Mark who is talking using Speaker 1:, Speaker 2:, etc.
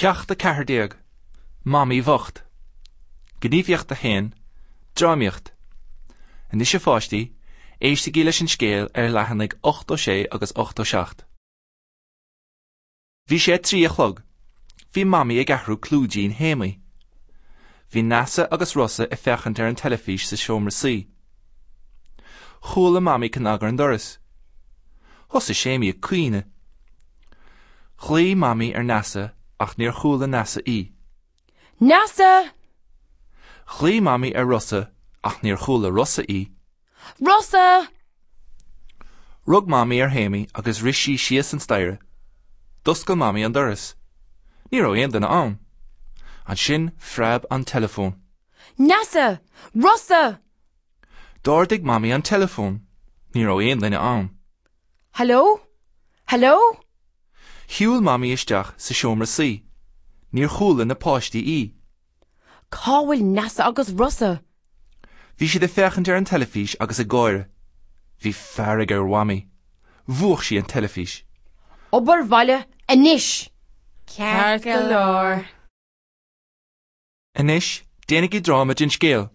Speaker 1: Ceacht 14, Mamaí Bhocht. Gníomhaíocht 1, Drámaíocht. Anois a pháistí, éistigí leis an scéal ar leathanaigh 86 agus 87. Bhí sé a 3 a chlog. Bhí Mamaí ag athrú clúidín Shéamaí. Bhí Neasa agus Rossa ag féachaint ar an teilifís sa seomra suí. Chuala Mamaí cnag ar an doras. Thosaigh Séamaí ag caoineadh. Ghlaoigh Mamaí ar Neasa ach níor chuala Neasa í.
Speaker 2: Neasa!
Speaker 1: Ghlaoigh Mamaí ar Rossa ach níor chuala Rossa í.
Speaker 2: Rossa!
Speaker 1: Rug Mamaí ar Shéamaí agus rith sí síos an staighre. D'oscail Mamaí an doras. Ní raibh aon duine ann. Ansin phreab an teileafón.
Speaker 2: Neasa! Rossa!
Speaker 1: D'ardaigh Mamaí an teileafón. Ní raibh aon duine ann.
Speaker 2: Hello? Hello?
Speaker 1: Shiúil Mamaí isteach sa seomra suí. Níor chuala na páistí í.
Speaker 2: Cá bhfuil Neasa agus Rossa?
Speaker 1: Bhí siad ag féachaint ar an teilifís agus ag gáire. Bhí fearg ar Mhamaí. Mhúch sí an teilifís.
Speaker 2: Obair bhaile anois!
Speaker 3: Ceart go leor.
Speaker 1: Anois, déanaigí dráma den scéal.